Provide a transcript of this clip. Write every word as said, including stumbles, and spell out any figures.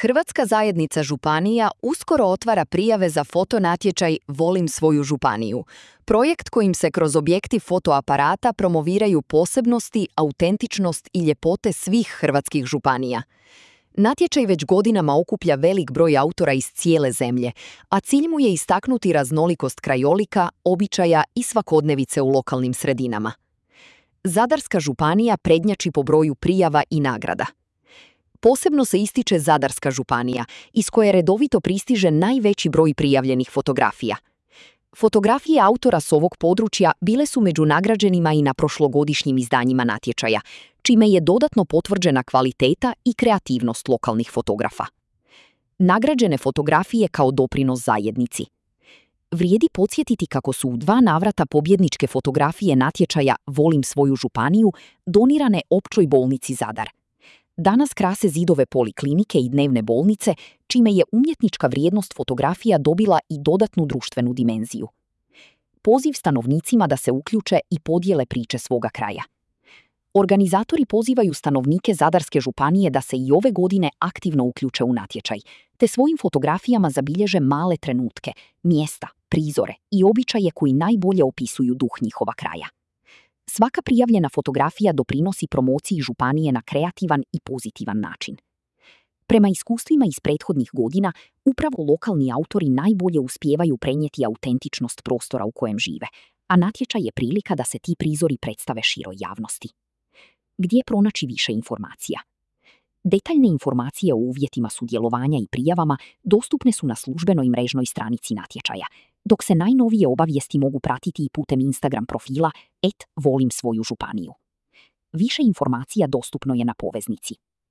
Hrvatska zajednica županija uskoro otvara prijave za fotonatječaj Volim svoju županiju. Projekt kojim se kroz objektiv fotoaparata promoviraju posebnosti, autentičnost i ljepote svih hrvatskih županija. Natječaj već godinama okuplja velik broj autora iz cijele zemlje, a cilj mu je istaknuti raznolikost krajolika, običaja i svakodnevice u lokalnim sredinama. Zadarska županija prednjači po broju prijava i nagrada. Posebno se ističe Zadarska županija, iz koje redovito pristiže najveći broj prijavljenih fotografija. Fotografije autora s ovog područja bile su među nagrađenima i na prošlogodišnjim izdanjima natječaja, čime je dodatno potvrđena kvaliteta i kreativnost lokalnih fotografa. Nagrađene fotografije kao doprinos zajednici. Vrijedi podsjetiti kako su u dva navrata pobjedničke fotografije natječaja Volim svoju županiju donirane Općoj bolnici Zadar. Danas krase zidove poliklinike i dnevne bolnice, čime je umjetnička vrijednost fotografija dobila i dodatnu društvenu dimenziju. Poziv stanovnicima da se uključe i podijele priče svoga kraja. Organizatori pozivaju stanovnike Zadarske županije da se i ove godine aktivno uključe u natječaj, te svojim fotografijama zabilježe male trenutke, mjesta, prizore i običaje koji najbolje opisuju duh njihova kraja. Svaka prijavljena fotografija doprinosi promociji županije na kreativan i pozitivan način. Prema iskustvima iz prethodnih godina, upravo lokalni autori najbolje uspijevaju prenijeti autentičnost prostora u kojem žive, a natječaj je prilika da se ti prizori predstave široj javnosti. Gdje pronaći više informacija? Detaljne informacije o uvjetima sudjelovanja i prijavama dostupne su na službenoj mrežnoj stranici natječaja, dok se najnovije obavijesti mogu pratiti i putem Instagram profila et volim svoju županiju. Više informacija dostupno je na poveznici